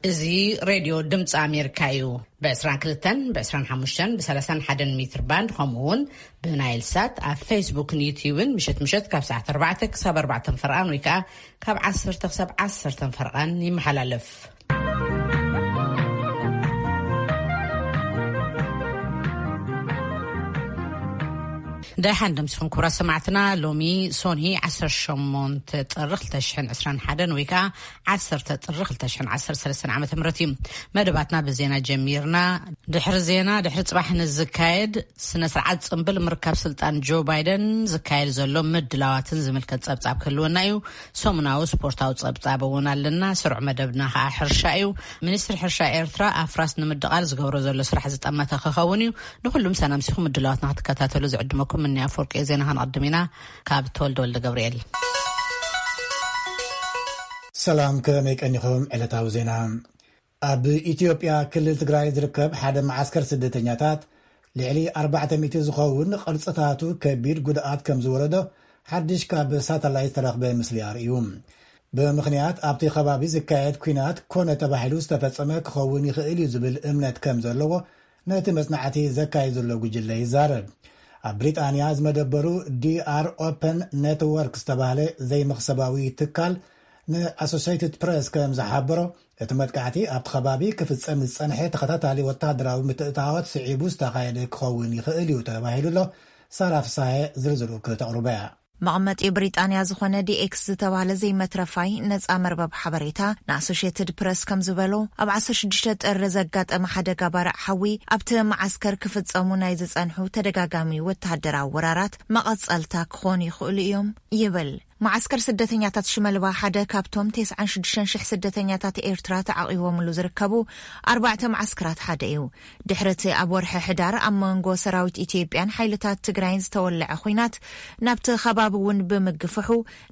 እዚ ሬድዮ ድምፂ ኣሜሪካ እዩ። ብ22፣ ብ25፣ ብ31 ሜትር ባንድ፣ ከምኡ እውን ብናይል ሳት ኣብ ፌስቡክን ዩትዩብን ምሸት ምሸት ካብ ሰዓት ኣርባዕተ ክሳብ ኣርባዕተ ፈርቓን ወይ ከዓ ካብ ዓሰርተ ክሳብ ዓሰርተ ፈርቓን ይመሓላለፍ። ደሓን ደምስኹም ክቡራት ሰማዕትና። ሎሚ ሶኒ ዓሰርተ ሸሞንተ ጥሪ ክልተ ሽሕን ዕስራን ሓደን ወይ ከዓ ዓሰርተ ጥሪ ክልተ ሽሕን ዓሰርተ ሰለስተን ዓመተ ምህረት እዩ። መደባትና ብዜና ጀሚርና። ድሕሪ ዜና፣ ድሕሪ ጽባሕ ንዝካየድ ስነ ስርዓት ጽምብል ምርካብ ስልጣን ጆ ባይደን ዝካየድ ዘሎ ምድላዋትን ዝምልከት ጸብጻብ ክህልወና እዩ። ሰሙናዊ ስፖርታዊ ጸብጻብ እውን ኣለና። ስሩዕ መደብና ከዓ ሕርሻ እዩ። ሚኒስትሪ ሕርሻ ኤርትራ ኣፍራስ ንምድቓል ዝገብሮ ዘሎ ስራሕ ዝጠመተ ክኸውን እዩ። ንኹሉም ሰላም ሲኹም ምድላዋትና ክትከታተሉ ዝዕድመኩም እኒ ኣፈወርቂ ዜና። ክንቐድም ኢና። ካብ ተወልደ ወልደ ገብርኤል። ሰላም፣ ከመይ ቀኒኹም? ዕለታዊ ዜና። ኣብ ኢትዮጵያ ክልል ትግራይ ዝርከብ ሓደ መዓስከር ስደተኛታት ልዕሊ ኣርባዕተ ሚእቲ ዝኸውን ቅርጽታቱ ከቢድ ጉድኣት ከም ዝወረዶ ሓድሽ ካብ ሳተላይት ዝተረኽበ ምስሊ ኣርእዩ። ብምኽንያት ኣብቲ ከባቢ ዝካየድ ኲናት ኮነ ተባሂሉ ዝተፈጸመ ክኸውን ይኽእል እዩ ዝብል እምነት ከም ዘለዎ ነቲ መጽናዕቲ ዘካየድ ዘሎ ጉጅለ ይዛረብ። ኣብ ብሪጣንያ ዝመደበሩ ዲኣር ኦፐን ኔትወርክ ዝተባህለ ዘይመኽሰባዊ ትካል ንኣሶሴይትድ ፕሬስ ከም ዝሓበሮ፣ እቲ መጥቃዕቲ ኣብቲ ከባቢ ክፍጸም ዝጸንሐ ተኸታታሊ ወታደራዊ ምትእትታዎት ስዒቡ ዝተኻየደ ክኸውን ይኽእል እዩ ተባሂሉ ኣሎ። ሳራ ፍሳሐ ዝርዝሩ ክተቕርቦ እያ። መቐመጢ ብሪጣንያ ዝኾነ ዲኤክስ ዝተባህለ ዘይመትረፋይ ነጻ መርበብ ሓበሬታ ንኣሶሽየትድ ፕረስ ከም ዝበሎ፣ ኣብ ዓሰርተ ሽዱሽተ ጥሪ ዘጋጠመ ሓደጋ ባርዕ ሓዊ ኣብቲ መዓስከር ክፍጸሙ ናይ ዝጸንሑ ተደጋጋሚ ወተሃደራዊ ወራራት መቐጸልታ ክኾኑ ይኽእሉ እዮም ይብል። መዓስከር ስደተኛታት ሽመልባ ሓደ ካብቶም ተስዓን ሽዱሽተን ሽሕ ስደተኛታት ኤርትራ ተዓቒቦምሉ ዝርከቡ ኣርባዕተ መዓስከራት ሓደ እዩ። ድሕሪ እቲ ኣብ ወርሒ ሕዳር ኣብ መንጎ ሰራዊት ኢትዮጵያን ሓይልታት ትግራይን ዝተወለዐ ኹናት፣ ናብቲ ከባቢ እውን ብምግፍሑ፣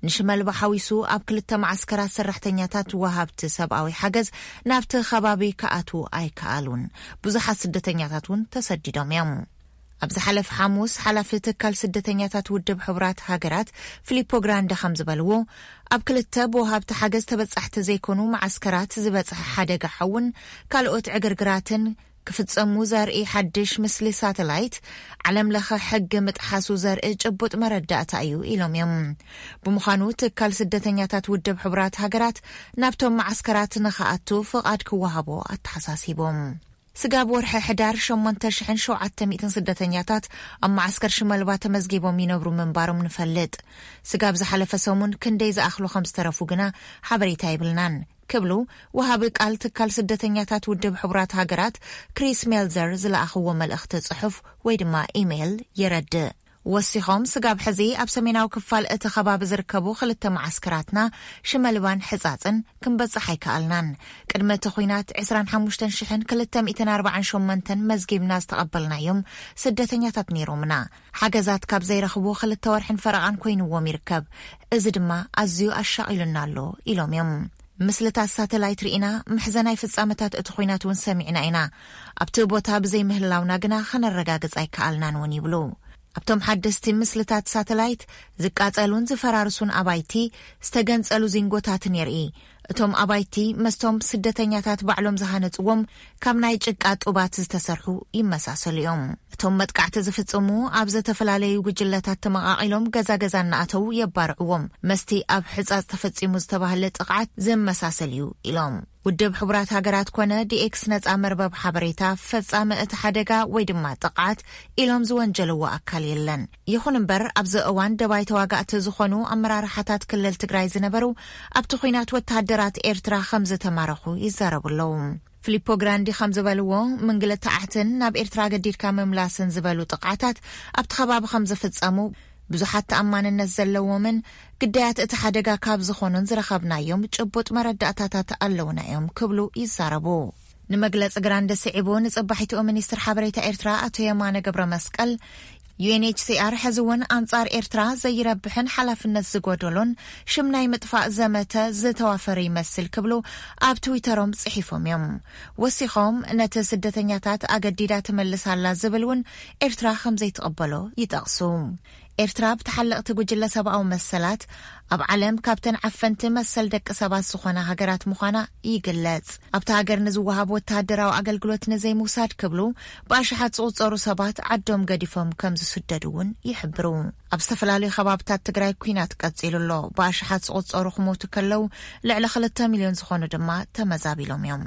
ንሽመልባ ሓዊሱ ኣብ ክልተ መዓስከራት ሰራሕተኛታት ወሃብቲ ሰብኣዊ ሓገዝ ናብቲ ከባቢ ክኣትዉ ኣይከኣሉን። ብዙሓት ስደተኛታት እውን ተሰዲዶም እዮም። ኣብ ዝሓለፈ ሓሙስ፣ ሓላፊ ትካል ስደተኛታት ውድብ ሕቡራት ሃገራት ፊሊፖ ግራንደ ከም ዝበልዎ፣ ኣብ ክልተ ብወሃብቲ ሓገዝ ተበጻሕቲ ዘይኮኑ መዓስከራት ዝበጽሐ ሓደጋ ሓውን ካልኦት ዕግርግራትን ክፍጸሙ ዘርኢ ሓድሽ ምስሊ ሳተላይት፣ ዓለም ለኸ ሕጊ ምጥሓሱ ዘርኢ ጭቡጥ መረዳእታ እዩ ኢሎም እዮም። ብምዃኑ፣ ትካል ስደተኛታት ውድብ ሕቡራት ሃገራት ናብቶም መዓስከራት ንኽኣቱ ፍቓድ ክወሃቦ ኣተሓሳሲቦም። ስጋብ ወርሒ ሕዳር፣ ሸሞንተ ሽሕን ሸውዓተ ሚእትን ስደተኛታት ኣብ መዓስከር ሽመልባ ተመዝጊቦም ይነብሩ ምንባሮም ንፈልጥ። ስጋብ ዝሓለፈ ሰሙን ክንደይ ዝኣኽሉ ከም ዝተረፉ ግና ሓበሬታ የብልናን ክብሉ ወሃቢ ቃል ትካል ስደተኛታት ውድብ ሕቡራት ሃገራት ክሪስ ሜልዘር ዝለኣኽዎ መልእኽቲ ጽሑፍ ወይ ድማ ኢሜይል የረድእ። ወሲኾም፣ ስጋብ ሕዚ ኣብ ሰሜናዊ ክፋል እቲ ከባቢ ዝርከቡ ክልተ መዓስከራትና ሽመልባን ሕጻጽን ክንበጽሕ ኣይከኣልናን። ቅድሚ እቲ ኹናት ዕስራን ሓሙሽተን ሽሕን ክልተ ሚእትን ኣርባዓን ሸሞንተን መዝጊብና ዝተቐበልናዮም ስደተኛታት ነይሮምና። ሓገዛት ካብ ዘይረኽቡ ክልተ ወርሕን ፈረቓን ኮይንዎም ይርከብ። እዚ ድማ ኣዝዩ ኣሻቒሉና ኣሎ ኢሎም እዮም። ምስልታት ሳተላይት ርኢና፣ መሕዘናይ ፍጻመታት እቲ ኹናት እውን ሰሚዕና ኢና። ኣብቲ ቦታ ብዘይ ምህላውና ግና ከነረጋግጽ ኣይከኣልናን እውን ይብሉ። ኣብቶም ሓደስቲ ምስልታት ሳተላይት፣ ዝቃጸሉን ዝፈራርሱን ኣባይቲ፣ ዝተገንጸሉ ዚንጎታትን የርኢ። እቶም ኣባይቲ መስቶም ስደተኛታት ባዕሎም ዝሃነጽዎም ካብ ናይ ጭቃ ጡባት ዝተሰርሑ ይመሳሰሉ እዮም። እቶም መጥቃዕቲ ዝፍጽሙ ኣብ ዝተፈላለዩ ጉጅለታት ተመቓቒሎም ገዛ ገዛ እናኣተዉ የባርዕዎም። መስቲ ኣብ ሕጻጽ ተፈጺሙ ዝተባህለ ጥቕዓት ዝመሳሰል እዩ ኢሎም። ውድብ ሕቡራት ሃገራት ኮነ ዲኤክስ ነጻ መርበብ ሓበሬታ ፈጻሚ እቲ ሓደጋ ወይ ድማ ጥቕዓት ኢሎም ዝወንጀልዎ ኣካል የለን። ይኹን እምበር፣ ኣብዚ እዋን ደባይ ተዋጋእቲ ዝኾኑ ኣመራርሓታት ክልል ትግራይ ዝነበሩ ኣብቲ ኹናት ወተሃደራት ኤርትራ ከም ዝተማረኹ ይዛረቡ ኣለዉ። ፊሊፖ ግራንዲ ከም ዝበልዎ፣ ምንግልታዓትን ናብ ኤርትራ ገዲድካ ምምላስን ዝበሉ ጥቕዓታት ኣብቲ ከባቢ ከም ዝፍጸሙ፣ ብዙሓት ተኣማንነት ዘለዎምን ግዳያት እቲ ሓደጋ ካብ ዝኾኑን ዝረኸብናዮም ጭቡጥ መረዳእታታት ኣለውና እዮም ክብሉ ይዛረቡ። ንመግለጺ ግራንዲ ስዒቡ ንጽባሒትኡ ሚኒስትር ሓበሬታ ኤርትራ ኣቶ የማነ ገብረ መስቀል፣ ዩ ኤን ኤች ሲ ኣር ሕዚ እውን ኣንጻር ኤርትራ ዘይረብሕን ሓላፍነት ዝጎደሎን ሽም ናይ ምጥፋእ ዘመተ ዝተዋፈረ ይመስል ክብሉ ኣብ ትዊተሮም ጽሒፎም እዮም። ወሲኾም፣ ነቲ ስደተኛታት ኣገዲዳ ትመልስ ኣላ ዝብል እውን ኤርትራ ከም ዘይትቕበሎ ይጠቕሱ። ኤርትራ ብተሓለቕቲ ጉጅለ ሰብኣዊ መሰላት ኣብ ዓለም ካብተን ዓፈንቲ መሰል ደቂ ሰባት ዝኾና ሃገራት ምዃና ይግለጽ። ኣብታ ሃገር ንዝወሃብ ወተሃደራዊ ኣገልግሎት ንዘይምውሳድ ክብሉ ብኣሽሓት ዝቑጸሩ ሰባት ዓዶም ገዲፎም ከም ዝስደዱ እውን ይሕብሩ። ኣብ ዝተፈላለዩ ከባብታት ትግራይ ኲናት ቀጺሉ ኣሎ። ብኣሽሓት ዝቑጸሩ ክሞቱ ከለዉ ልዕሊ ክልተ ሚልዮን ዝኾኑ ድማ ተመዛቢሎም እዮም።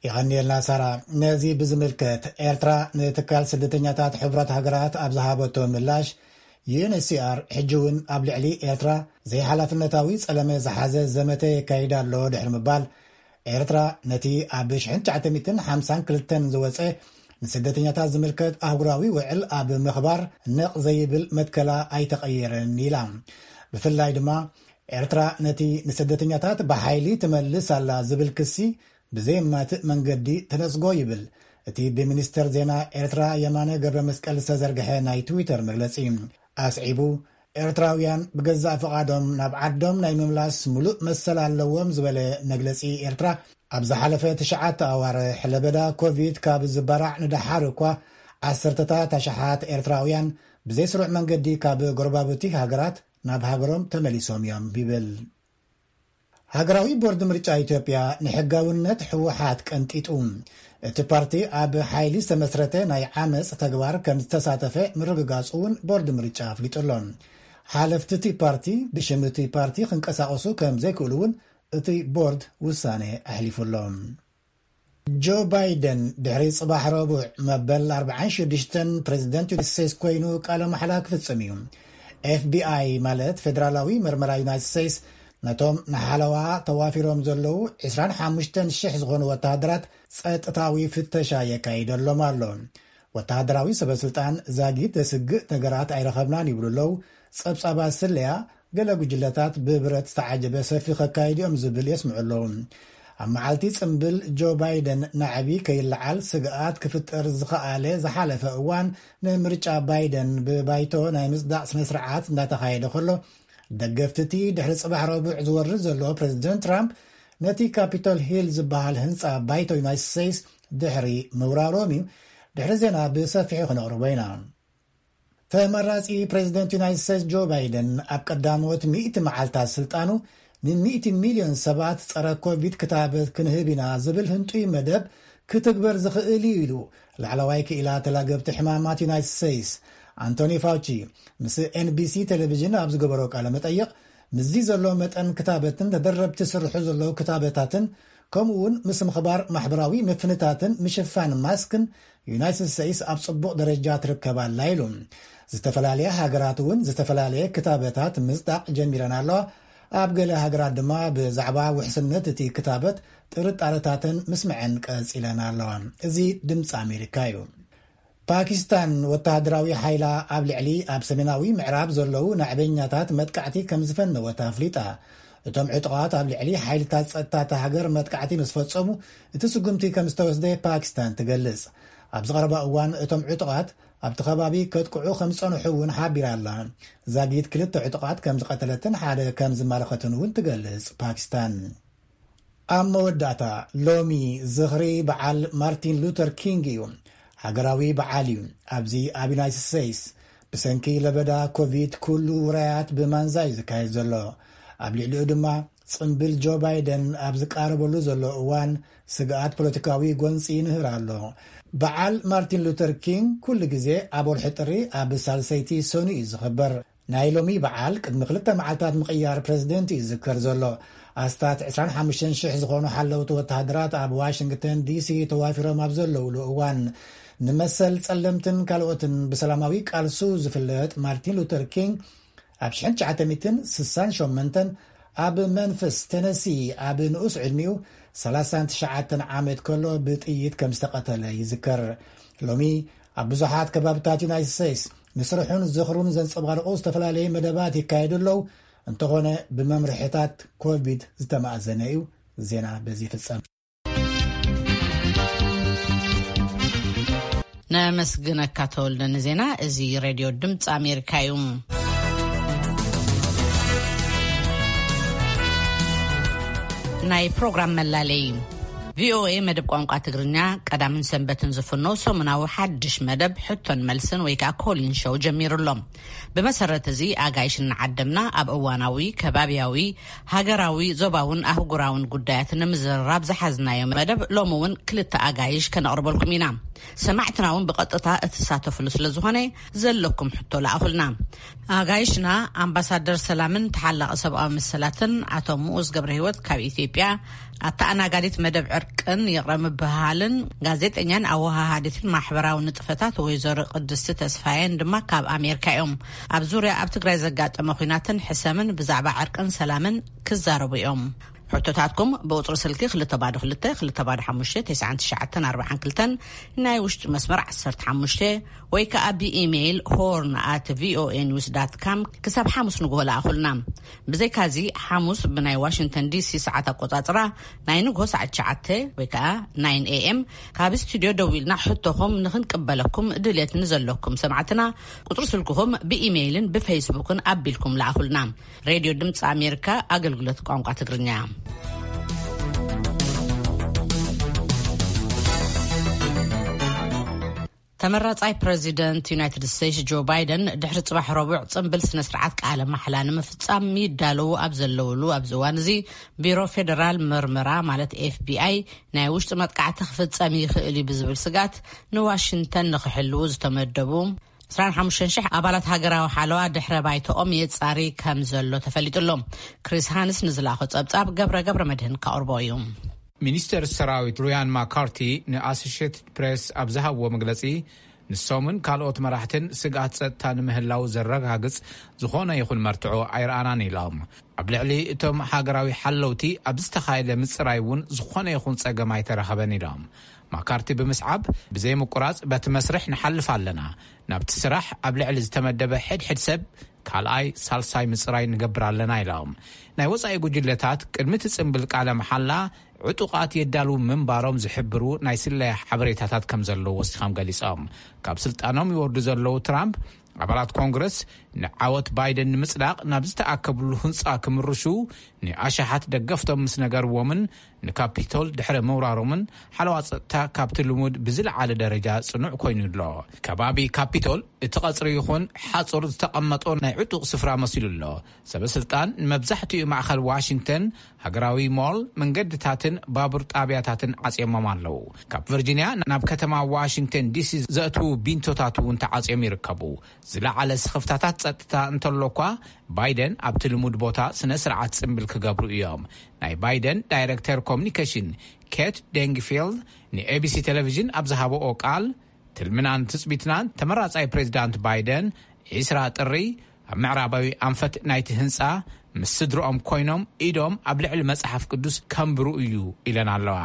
የቐንየልና ሳራ። ነዚ ብዝምልከት ኤርትራ ንትካል ስደተኛታት ሕቡራት ሃገራት ኣብ ዝሃበቶ ምላሽ፣ ዩ ኤን ኤች ሲ ኣር ሕጂ እውን ኣብ ልዕሊ ኤርትራ ዘይሓላፍነታዊ ጸለመ ዝሓዘ ዘመተ የካይድ ኣሎ ድሕሪ ምባል፣ ኤርትራ ነቲ ኣብ ሽሕን ትሽዓተ ሚእትን ሓምሳን ክልተን ዝወጸ ንስደተኛታት ዝምልከት ኣህጉራዊ ውዕል ኣብ ምኽባር ነቕ ዘይብል መትከላ ኣይተቐየረን ኢላ። ብፍላይ ድማ ኤርትራ ነቲ ንስደተኛታት ብሓይሊ ትመልስ ኣላ ዝብል ክሲ ብዘየማትእ መንገዲ ተነጽጎ ይብል እቲ ብሚኒስተር ዜና ኤርትራ የማነ ገብረ መስቀል ዝተዘርግሐ ናይ ትዊተር መግለጺ። ኣስዒቡ፣ ኤርትራውያን ብገዛእ ፍቓዶም ናብ ዓዶም ናይ ምምላስ ምሉእ መሰል ኣለዎም ዝበለ መግለጺ ኤርትራ፣ ኣብ ዝሓለፈ ትሽዓተ ኣዋርሕ ለበዳ ኮቪድ ካብ ዝበራዕ ንደሓር እኳ ዓሰርተታት ኣሽሓት ኤርትራውያን ብዘይስሩዕ መንገዲ ካብ ጎረባብቲ ሃገራት ናብ ሃገሮም ተመሊሶም እዮም ይብል። ሃገራዊ ቦርድ ምርጫ ኢትዮጵያ ንሕጋውነት ህወሓት ቀንጢጡ፣ እቲ ፓርቲ ኣብ ሓይሊ ዝተመስረተ ናይ ዓመፅ ተግባር ከም ዝተሳተፈ ምርግጋፁ እውን ቦርድ ምርጫ ኣፍሊጡ ኣሎ። ሓለፍቲ እቲ ፓርቲ ብሽም እቲ ፓርቲ ክንቀሳቐሱ ከም ዘይክእሉ እውን እቲ ቦርድ ውሳነ ኣሕሊፉ ኣሎ። ጆ ባይደን ድሕሪ ጽባሕ ረቡዕ መበል ኣርባዓን ሽዱሽተን ፕሬዚደንት ዩናይትድ ስቴትስ ኮይኑ ቃለ መሓላ ክፍጽም እዩ። ኤፍ ቢ ኣይ ማለት ፌደራላዊ መርመራ ዩናይትድ ስቴትስ ነቶም ንሓለዋ ተዋፊሮም ዘለዉ ዕስራን ሓሙሽተን ሽሕ ዝኾኑ ወተሃደራት ጸጥታዊ ፍተሻ የካይደሎም ኣሎ። ወተሃደራዊ ሰበ ስልጣን ዛጊት ዘስግእ ነገራት ኣይረኸብናን ይብሉ ኣለዉ። ጸብጻባት ስለያ ገለ ጉጅለታት ብብረት ዝተዓጀበ ሰልፊ ከካይዱ እዮም ዝብል የስምዑ ኣለዉ። ኣብ መዓልቲ ጽምብል ጆ ባይደን ናዕቢ ከይለዓል ስግኣት ክፍጠር ዝኸኣለ ዝሓለፈ እዋን ንምርጫ ባይደን ብባይቶ ናይ ምጽዳቕ ስነ ስርዓት እንዳተኻየደ ከሎ፣ ደገፍቲ እቲ ድሕሪ ጽባሕ ረቡዕ ዝወርድ ዘሎ ፕሬዚደንት ትራምፕ ነቲ ካፒቶል ሂል ዝበሃል ህንጻ ባይቶ ዩናይትድ ስቴትስ ድሕሪ ምውራሮም እዩ። ድሕሪ ዜና ብሰፊሑ ክነቕርቦ ኢና። ተመራጺ ፕሬዚደንት ዩናይትድ ስቴትስ ጆ ባይደን ኣብ ቀዳሞት ሚእቲ መዓልታት ስልጣኑ ንሚእቲ ሚልዮን ሰባት ጸረ ኮቪድ ክታበት ክንህብ ኢና ዝብል ህንጡይ መደብ ክትግበር ዝኽእል እዩ ኢሉ ላዕለዋይ ክኢላ ተላገብቲ ሕማማት ዩናይትድ ስቴትስ ኣንቶኒ ፋውቺ ምስ ኤን ቢ ሲ ቴሌቪዥን ኣብ ዝገበሮ ቃለ መጠይቕ፣ ምስዚ ዘሎ መጠን ክታበትን ተደረብቲ ዝስርሑ ዘለዉ ክታበታትን ከምኡ እውን ምስ ምኽባር ማሕበራዊ ምፍንታትን ምሽፋን ማስክን ዩናይትድ ስቴትስ ኣብ ጽቡቕ ደረጃ ትርከብ ኣላ ኢሉ። ዝተፈላለያ ሃገራት እውን ዝተፈላለየ ክታበታት ምጽዳቕ ጀሚረን ኣለዋ። ኣብ ገለ ሃገራት ድማ ብዛዕባ ውሕስነት እቲ ክታበት ጥርጣረታተን ምስምዐን ቀጺለን ኣለዋ። እዚ ድምፂ ኣሜሪካ እዩ። ፓኪስታን ወተሃደራዊ ሓይላ ኣብ ልዕሊ ኣብ ሰሜናዊ ምዕራብ ዘለዉ ናዕበኛታት መጥቃዕቲ ከም ዝፈነወት ኣፍሊጣ። እቶም ዕጡቓት ኣብ ልዕሊ ሓይልታት ጸጥታ እታ ሃገር መጥቃዕቲ ምስ ፈጸሙ፣ እቲ ስጉምቲ ከም ዝተወስደ ፓኪስታን ትገልጽ። ኣብ ዝቐረባ እዋን እቶም ዕጡቓት ኣብቲ ከባቢ ከጥቅዑ ከም ዝጸንሑ እውን ሓቢራ ኣላ። ዛጊት ክልተ ዕጡቓት ከም ዝቐተለትን ሓደ ከም ዝማረኸትን እውን ትገልጽ ፓኪስታን። ኣብ መወዳእታ፣ ሎሚ ዝኽሪ በዓል ማርቲን ሉተር ኪንግ እዩ። ሃገራዊ በዓል እዩ። ኣብዚ ኣብ ዩናይትድ ስቴትስ ብሰንኪ ለበዳ ኮቪድ ኩሉ ውራያት ብማንዛ እዩ ዝካየድ ዘሎ። ኣብ ልዕሊኡ ድማ ጽምብል ጆ ባይደን ኣብ ዝቃረበሉ ዘሎ እዋን ስግኣት ፖለቲካዊ ጎንጺ ይንህር ኣሎ። በዓል ማርቲን ሉተር ኪንግ ኩሉ ግዜ ኣብ ወርሒ ጥሪ ኣብ ሳልሰይቲ ሰኑ እዩ ዝኽበር። ናይ ሎሚ በዓል ቅድሚ ክልተ መዓልታት ምቕያር ፕረዚደንት እዩ ዝዝከር ዘሎ። ኣስታት ዕስራን ሓሙሽተን ሽሕ ዝኾኑ ሓለውቲ ወተሃደራት ኣብ ዋሽንግተን ዲ ሲ ተዋፊሮም ኣብ ዘለውሉ እዋን፣ ንመሰል ጸለምትን ካልኦትን ብሰላማዊ ቃልሱ ዝፍለጥ ማርቲን ሉተር ኪንግ ኣብ ሽሕን ትሽዓተ ሚእትን ስሳን ሸሞንተን ኣብ መንፍስ ቴነሲ ኣብ ንኡስ ዕድሚኡ ሰላሳን ትሽዓተን ዓመት ከሎ ብጥይት ከም ዝተቐተለ ይዝከር። ሎሚ ኣብ ብዙሓት ከባብታት ዩናይትድ ስቴትስ ንስርሑን ዝኽሩን ዘንጸባርቑ ዝተፈላለዩ መደባት ይካየዱ ኣለዉ። እንተኾነ ብመምርሒታት ኮቪድ ዝተማእዘነ እዩ። ዜና በዚ ይፍጸም። ነመስግነካ ተወልደ ንዜና። እዚ ሬድዮ ድምፂ ኣሜሪካ እዩ። ናይ ፕሮግራም መላለይ። ቪኦኤ መደብ ቋንቋ ትግርኛ ቀዳምን ሰንበትን ዝፍኖ ሰሙናዊ ሓድሽ መደብ ሕቶን መልስን ወይ ከዓ ኮሊን ሾው ጀሚሩ ኣሎ። ብመሰረት እዚ ኣጋይሽ እናዓደምና ኣብ እዋናዊ፣ ከባብያዊ፣ ሃገራዊ፣ ዞባውን ኣህጉራውን ጉዳያት ንምዝርራብ ዝሓዝናዮ መደብ ሎሚ እውን ክልተ ኣጋይሽ ከነቕርበልኩም ኢና። ሰማዕትና እውን ብቐጥታ እትሳተፍሉ ስለ ዝኾነ ዘለኩም ሕቶ ለኣኹልና። ኣጋይሽና ኣምባሳደር ሰላምን ተሓላቒ ሰብኣዊ መሰላትን ኣቶ ምኡዝ ገብረ ህይወት ካብ ኢትዮጵያ፣ ኣተኣናጋዲት መደብ ዕርቅን ይቕረ ምብህሃልን ጋዜጠኛን ኣወሃሃዲትን ማሕበራዊ ንጥፈታት ወይዘሮ ቅድስቲ ተስፋየን ድማ ካብ ኣሜሪካ እዮም። ኣብ ዙርያ ኣብ ትግራይ ዘጋጠመ ኲናትን ሕሰምን ብዛዕባ ዕርቅን ሰላምን ክዛረቡ እዮም። ሕቶታትኩም ብቁፅሪ ስልኪ ክልተ ባዶ ክልተ ክልተ ባዶ ሓሙሽተ ተስዓን ትሽዓተን ኣርባዓን ክልተን፣ ናይ ውሽጢ መስመር ዓሰርተ ሓሙሽተ፣ ወይ ከዓ ብኢሜይል ሆርን ኣት ቪኦኤ ኒውስ ዳት ካም ክሳብ ሓሙስ ንግሆ ለኣኹልና። ብዘይካዚ ሓሙስ ብናይ ዋሽንግተን ዲሲ ሰዓት ኣቆፃፅራ ናይ ንግሆ ሰዓት ትሽዓተ ወይ ከዓ ናይን ኤ ኤም ካብ ስቱዲዮ ደዊልና ሕቶኹም ንክንቅበለኩም ድልየት ንዘለኩም ሰማዕትና ቁፅሪ ስልክኹም ብኢሜይልን ብፌስቡክን ኣቢልኩም ለኣኹልና። ሬድዮ ድምፂ ኣሜሪካ ኣገልግሎት ቋንቋ ትግርኛ። ተመራጻይ ፕረዚደንት ዩናይትድ ስቴትስ ጆ ባይደን ድሕሪ ጽባሕ ረቡዕ ጽምብል ስነ ስርዓት ቃለ ማሕላ ንምፍጻም ይዳለዉ ኣብ ዘለውሉ ኣብዚ እዋን እዚ፣ ቢሮ ፌደራል መርመራ ማለት ኤፍ ቢ ኣይ ናይ ውሽጢ መጥቃዕቲ ክፍጸም ይኽእል እዩ ብዝብል ስጋት ንዋሽንግተን ንኽሕልዉ ዝተመደቡ ዕስራን ሓሙሽተን ሽሕ ኣባላት ሃገራዊ ሓለዋ ድሕረ ባይታኦም የጻሪ ከም ዘሎ ተፈሊጡ ኣሎ። ክሪስ ሃንስ ንዝላኾ ጸብጻብ ገብረ ገብረ መድህን ካቕርቦ እዩ። ሚኒስተር ሰራዊት ሩያን ማካርቲ ንኣሶሽየትድ ፕሬስ ኣብ ዝሃብዎ መግለጺ፣ ንሶምን ካልኦት መራሕትን ስግኣት ጸጥታ ንምህላው ዘረጋግጽ ዝኾነ ይኹን መርትዖ ኣይረኣናን ኢሎም። ኣብ ልዕሊ እቶም ሃገራዊ ሓለውቲ ኣብ ዝተኻየደ ምጽራይ እውን ዝኾነ ይኹን ጸገም ኣይተረኸበን ኢሎም። ማካርቲ ብምስዓብ፣ ብዘይ ምቁራጽ በቲ መስርሕ ንሓልፍ ኣለና። ናብቲ ስራሕ ኣብ ልዕሊ ዝተመደበ ሕድሕድ ሰብ ካልኣይ፣ ሳልሳይ ምጽራይ ንገብር ኣለና ኢሎም። ናይ ወጻኢ ጉጅለታት ቅድሚ እቲ ጽምብል ቃለ መሓላ ዕጡቓት የዳልዉ ምንባሮም ዝሕብሩ ናይ ስለያ ሓበሬታታት ከም ዘለዉ ወሲኾም ገሊጾም። ካብ ስልጣኖም ይወርዱ ዘለዉ ትራምፕ፣ ኣባላት ኮንግረስ ንዓወት ባይደን ንምጽዳቕ ናብ ዝተኣከብሉ ህንጻ ክምርሹ ንኣሽሓት ደገፍቶም ምስ ነገርዎምን ንካፒቶል ድሕሪ ምውራሮምን ሓለዋ ጸጥታ ካብቲ ልሙድ ብዝለዓለ ደረጃ ጽኑዕ ኮይኑ ኣሎ። ከባቢ ካፒቶል እቲ ቀጽሪ ይኹን ሓጹር ዝተቐመጦ ናይ ዕጡቕ ስፍራ መሲሉ ኣሎ። ሰበ ስልጣን ንመብዛሕትኡ ማእኸል ዋሽንግተን፣ ሃገራዊ ሞል፣ መንገድታትን ባቡር ጣብያታትን ዓጽዮሞም ኣለዉ። ካብ ቨርጂንያ ናብ ከተማ ዋሽንግተን ዲሲ ዘእትዉ ቢንቶታት እውን ተዓጽዮም ይርከቡ። ዝለዓለ ስኽፍታታት ጸጥታ እንተሎ እኳ፣ ባይደን ኣብቲ ልሙድ ቦታ ስነ ስርዓት ጽምብል ክገብሩ እዮም። ናይ ባይደን ዳይረክተር ኮሚኒኬሽን ኬት ደንግፊልድ ንኤቢሲ ቴሌቪዥን ኣብ ዝሃበኦ ቃል፣ ትልምናን ትጽቢትናን ተመራጻይ ፕሬዚዳንት ባይደን ዕስራ ጥሪ ኣብ ምዕራባዊ ኣንፈት ናይቲ ህንጻ ምስ ስድርኦም ኮይኖም ኢዶም ኣብ ልዕሊ መጽሓፍ ቅዱስ ከንብሩ እዩ ኢለን ኣለዋ።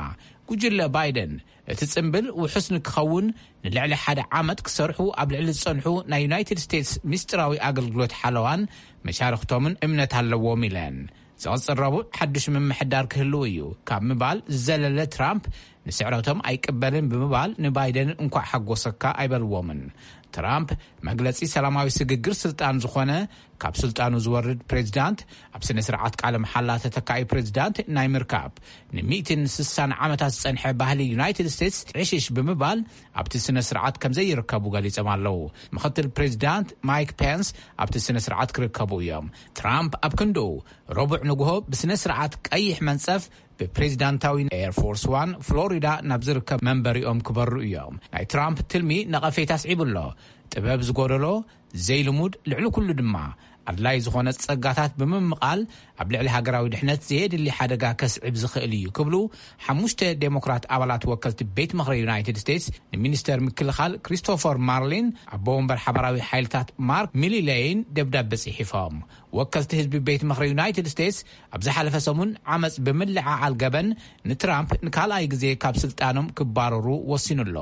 ጉጅለ ባይደን እቲ ጽምብል ውሑስ ንክኸውን ንልዕሊ ሓደ ዓመት ክሰርሑ ኣብ ልዕሊ ዝጸንሑ ናይ ዩናይትድ ስቴትስ ምስጢራዊ ኣገልግሎት ሓለዋን መሻርኽቶምን እምነት ኣለዎም ኢለን። ዝቐጽል ረቡዕ ሓድሽ ምምሕዳር ክህልው እዩ ካብ ምባል ዝዘለለ፣ ትራምፕ ንስዕረቶም ኣይቅበልን ብምባል ንባይደን እንኳዕ ሓጎሰካ ኣይበልዎምን። ትራምፕ መግለጺ ሰላማዊ ስግግር ስልጣን ዝኾነ ካብ ስልጣኑ ዝወርድ ፕሬዚዳንት ኣብ ስነ ስርዓት ቃለ መሓላ ተተካኢ ፕሬዚዳንት ናይ ምርካብ ንሚእትን ስሳን ዓመታት ዝጸንሐ ባህሊ ዩናይትድ ስቴትስ ዕሽሽ ብምባል ኣብቲ ስነ ስርዓት ከም ዘይርከቡ ገሊጾም ኣለዉ። ምኽትል ፕሬዚዳንት ማይክ ፔንስ ኣብቲ ስነ ስርዓት ክርከቡ እዮም። ትራምፕ ኣብ ክንድኡ ረቡዕ ንግሆ ብስነ ስርዓት ቀይሕ መንጸፍ ብፕሬዚዳንታዊ ኤር ፎርስ ዋን ፍሎሪዳ ናብ ዝርከብ መንበሪኦም ክበሩ እዮም። ናይ ትራምፕ ትልሚ ነቐፌታ ኣስዒቡ ኣሎ። ጥበብ ዝጎደሎ፣ ዘይልሙድ፣ ልዕሊ ኩሉ ድማ ኣድላይ ዝኾነ ጸጋታት ብምምቓል ኣብ ልዕሊ ሃገራዊ ድሕነት ዘየድሊ ሓደጋ ከስዕብ ዝኽእል እዩ ክብሉ ሓሙሽተ ዴሞክራት ኣባላት ወከልቲ ቤት ምኽሪ ዩናይትድ ስቴትስ ንሚኒስተር ምክልኻል ክሪስቶፈር ማርሊን ኣቦ ወንበር ሓባራዊ ሓይልታት ማርክ ሚሊሌይን ደብዳበ ጽሒፎም። ወከልቲ ህዝቢ ቤት ምኽሪ ዩናይትድ ስቴትስ ኣብ ዝሓለፈ ሰሙን ዓመጽ ብምልዕዓል ገበን ንትራምፕ ንካልኣይ ግዜ ካብ ስልጣኖም ክባረሩ ወሲኑ ኣሎ።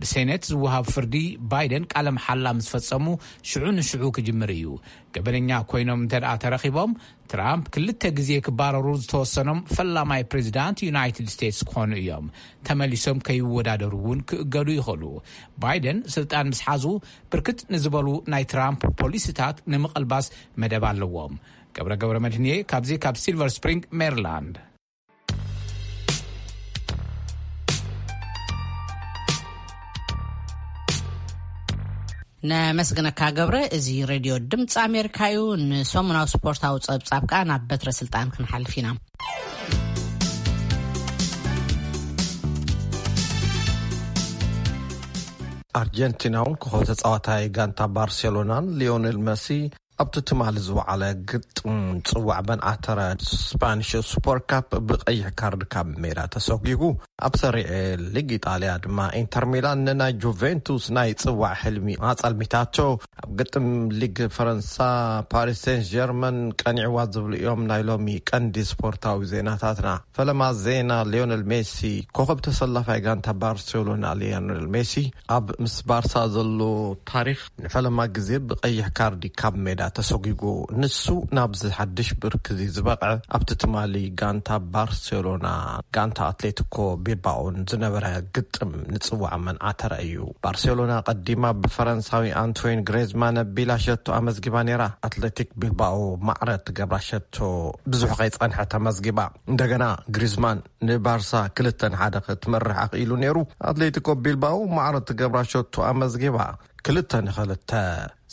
ብሴኔት ዝወሃብ ፍርዲ ባይደን ቃለ መሓላ ምስ ፈጸሙ ሽዑ ንሽዑ ክጅምር እዩ። ገበነኛ ኮይኖም እንተ ደኣ ተረኺቦም፣ ትራምፕ ክልተ ግዜ ክባረሩ ዝተወሰኖም ፈላማይ ፕሬዚዳንት ዩናይትድ ስቴትስ ክኾኑ እዮም። ተመሊሶም ከይወዳደሩ እውን ክእገዱ ይኽእሉ። ባይደን ስልጣን ምስ ሓዙ፣ ብርክት ንዝበሉ ናይ ትራምፕ ፖሊሲታት ንምቕልባስ መደብ ኣለዎም። ገብረ ገብረ መድህንየ ካብዚ ካብ ሲልቨር ስፕሪንግ ሜሪላንድ። ነመስግነካ ገብረ። እዚ ሬድዮ ድምፂ ኣሜሪካ እዩ። ንሰሙናዊ ስፖርታዊ ጸብጻብ ከኣ ናብ በትረ ስልጣን ክንሓልፍ ኢና። ኣርጀንቲናውን ኮኸብ ተጻዋታይ ጋንታ ባርሴሎናን ሊዮኔል መሲ ኣብቲ ትማሊ ዝወዓለ ግጥም ጽዋዕ መንዓተረ ስፓኒሽ ሱፐር ካፕ ብቐይሕ ካርድ ካብ ሜዳ ተሰጒጉ። ኣብ ሰሪዕ ሊግ ኢጣልያ ድማ ኢንተር ሚላን ንናይ ጁቬንቱስ ናይ ጽዋዕ ሕልሚ ኣጸልሚታቶ። ኣብ ግጥም ሊግ ፈረንሳ ፓሪስ ሴንት ጀርመን ቀኒዕዋ ዝብሉ እዮም ናይ ሎሚ ቀንዲ ስፖርታዊ ዜናታትና። ፈለማ ዜና ሊዮነል ሜሲ ኮኸብ ተሰላፋይ ጋንታ ባርሴሎና ሊዮነል ሜሲ ኣብ ምስ ባርሳ ዘሎ ታሪኽ ንፈለማ ግዜ ብቐይሕ ካርዲ ካብ ሜዳ ተሰጒጉ። ንሱ ናብዚ ሓድሽ ብርኪ እዚ ዝበቕዐ ኣብቲ ትማሊ ጋንታ ባርሴሎና ጋንታ ኣትሌቲኮ ቢልባኦን ዝነበረ ግጥም ንጽዋዕ መንዓተረ እዩ። ባርሴሎና ቀዲማ ብፈረንሳዊ ኣንቶይን ግሬዝማን ኣቢላ ሸቶ ኣመዝጊባ ነይራ። ኣትሌቲክ ቢልባኦ ማዕረ ትገብራ ሸቶ ብዙሕ ከይጸንሐ ተመዝጊባ። እንደገና ግሪዝማን ንባርሳ ክልተ ንሓደ ክትመርሕ ኣኽኢሉ ነይሩ። ኣትሌቲኮ ቢልባኦ ማዕረ ትገብራ ሸቶ ኣመዝጊባ። ክልተ ንኽልተ።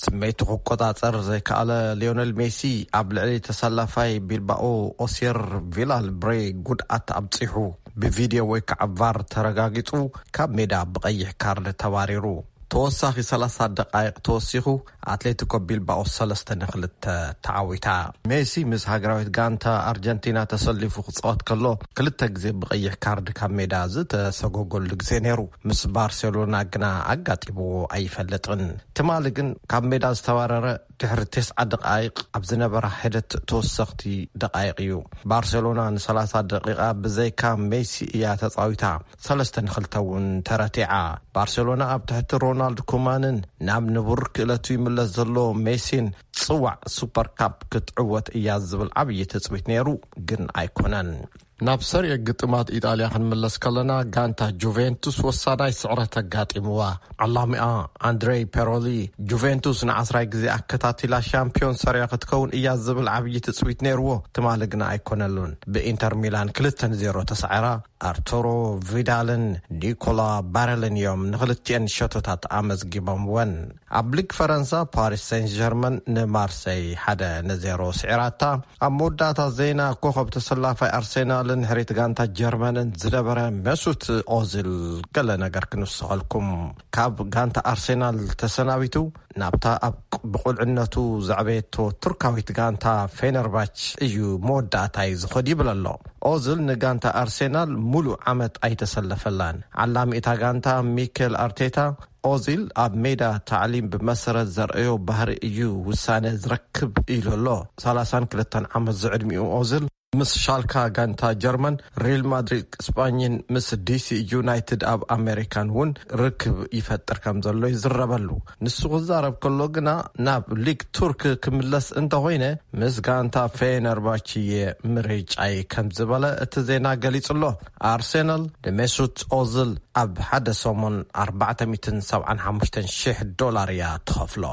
ስመይቱ ክቆጻጸር ዘይከኣለ ሊዮነል ሜሲ ኣብ ልዕሊ ተሰላፋይ ቢልባኦ ኦሲር ቪላል ብሬ ጉድኣት ኣብጺሑ ብቪድዮ ወይ ከዓ ቫር ተረጋጊጹ ካብ ሜዳ ብቐይሕ ካርድ ተባሪሩ። ተወሳኺ ሰላሳ ደቃይቕ ተወሲኹ ኣትሌቲኮ ቢልባኦ ሰለስተ ንኽልተ ተዓዊታ። ሜሲ ምስ ሃገራዊት ጋንታ ኣርጀንቲና ተሰሊፉ ክጻወት ከሎ ክልተ ግዜ ብቐይሕ ካርድ ካብ ሜዳ ዝተሰጎገሉ ግዜ ነይሩ። ምስ ባርሴሎና ግና ኣጋጢምዎ ኣይፈልጥን። ትማሊ ግን ካብ ሜዳ ዝተባረረ ድሕሪ ተስዓ ደቃይቕ ኣብ ዝነበራ ሒደት ተወሰኽቲ ደቃይቕ እዩ። ባርሴሎና ንሰላሳ ደቂቓ ብዘይካ ሜሲ እያ ተጻዊታ። ሰለስተ ንኽልተ እውን ተረቲዓ። ባርሴሎና ኣብ ትሕቲ ሮናልድ ኩማንን ናብ ንቡር ክእለቱ ይምለስ ዘሎ ሜሲን ጽዋዕ ሱፐር ካፕ ክትዕወት እያ ዝብል ዓብዪ ትጽቢት ነይሩ፣ ግን ኣይኮነን። ናብ ሰሪዕ ግጥማት ኢጣልያ ክንምለስ ከለና፣ ጋንታ ጁቬንቱስ ወሳናይ ስዕረት ኣጋጢምዋ። ዓላሚኣ ኣንድሬ ፔሮሊ፣ ጁቬንቱስ ንዓስራይ ግዜ ኣከታቲላ ሻምፒዮን ሰሪያ ክትከውን እያ ዝብል ዓብዪ ትጽቢት ነይርዎ። ትማሊ ግና ኣይኮነሉን። ብኢንተር ሚላን ክልተ ንዜሮ ተሳዒራ። ኣርቱሮ ቪዳልን ኒኮላ ባረልን እዮም ንኽልቲኤን ሸቶታት ኣመዝጊቦምወን። ኣብ ሊግ ፈረንሳ ፓሪስ ሴንት ጀርመን ንማርሰይ ሓደ ንዜሮ ስዒራታ። ኣብ መወዳእታ ዜና ኮኸብ ተሰላፋይ ኣርሴናልን ሕሪት ጋንታ ጀርመንን ዝነበረ መሱት ኦዚል ገለ ነገር ክንውስኸልኩም። ካብ ጋንታ ኣርሴናል ተሰናቢቱ ናብታ ኣብ ብቁልዕነቱ ዘዕበየቶ ቱርካዊት ጋንታ ፌነርባች እዩ መወዳእታይ ዝኸድ ይብል ኣሎ። ኦዝል ንጋንታ ኣርሴናል ሙሉእ ዓመት ኣይተሰለፈላን። ዓላሚ እታ ጋንታ ሚኬል ኣርቴታ ኦዚል ኣብ ሜዳ ታዕሊም ብመሰረት ዘርእዮ ባህሪ እዩ ውሳነ ዝረክብ ኢሉ ኣሎ። ሰላሳን ክልተን ዓመት ዝዕድሚኡ ኦዝል ምስ ሻልካ ጋንታ ጀርመን፣ ሪል ማድሪድ ስጳኝን ምስ ዲሲ ዩናይትድ ኣብ ኣሜሪካን እውን ርክብ ይፈጥር ከም ዘሎ ይዝረበሉ። ንሱ ክዛረብ ከሎ ግና ናብ ሊግ ቱርክ ክምለስ እንተኾይነ ምስ ጋንታ ፌነርባችየ ምርጫይ ከም ዝበለ እቲ ዜና ገሊጹ ኣሎ። ኣርሴናል ንሜሱት ኦዝል ኣብ ሓደ ሰሙን ኣርባዕተ ሚእትን ሰብዓን ሓሙሽተን ሽሕ ዶላር እያ ትኸፍሎ።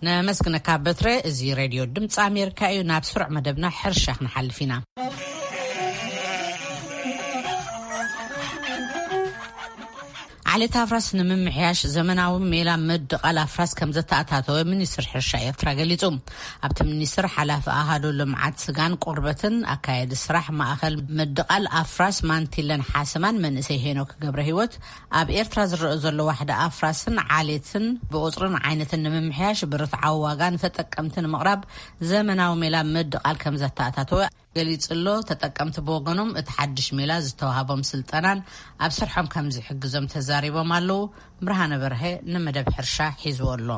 ነመስግነካ በትረ። እዚ ሬድዮ ድምፂ ኣሜሪካ እዩ። ናብ ስሩዕ መደብና ሕርሻ ክንሓልፍ ኢና። ዓሌት ኣፍራስ ንምምሕያሽ ዘመናዊ ሜላ ምድቓል ኣፍራስ ከም ዘተኣታተወ ሚኒስትር ሕርሻ ኤርትራ ገሊጹ። ኣብቲ ሚኒስትር ሓላፊ ኣሃዱ ልምዓት ስጋን ቆርበትን ኣካየዲ ስራሕ ማእኸል ምድቓል ኣፍራስ ማንቲለን ሓሰማን መንእሰይ ሄኖክ ገብረ ህይወት ኣብ ኤርትራ ዝረአ ዘሎ ዋሕዲ ኣፍራስን ዓሌትን ብቁጽርን ዓይነትን ንምምሕያሽ ብርትዓዊ ዋጋ ንተጠቀምቲ ንምቕራብ ዘመናዊ ሜላ ምድቓል ከም ዘተኣታተወ ገሊጹ ኣሎ። ተጠቀምቲ ብወገኖም እቲ ሓድሽ ሜላ ዝተዋህቦም ስልጠናን ኣብ ስርሖም ከም ዝሕግዞም ተዛሪቦም ኣለዉ። ብርሃነ በርሀ ንመደብ ሕርሻ ሒዝዎ ኣሎ።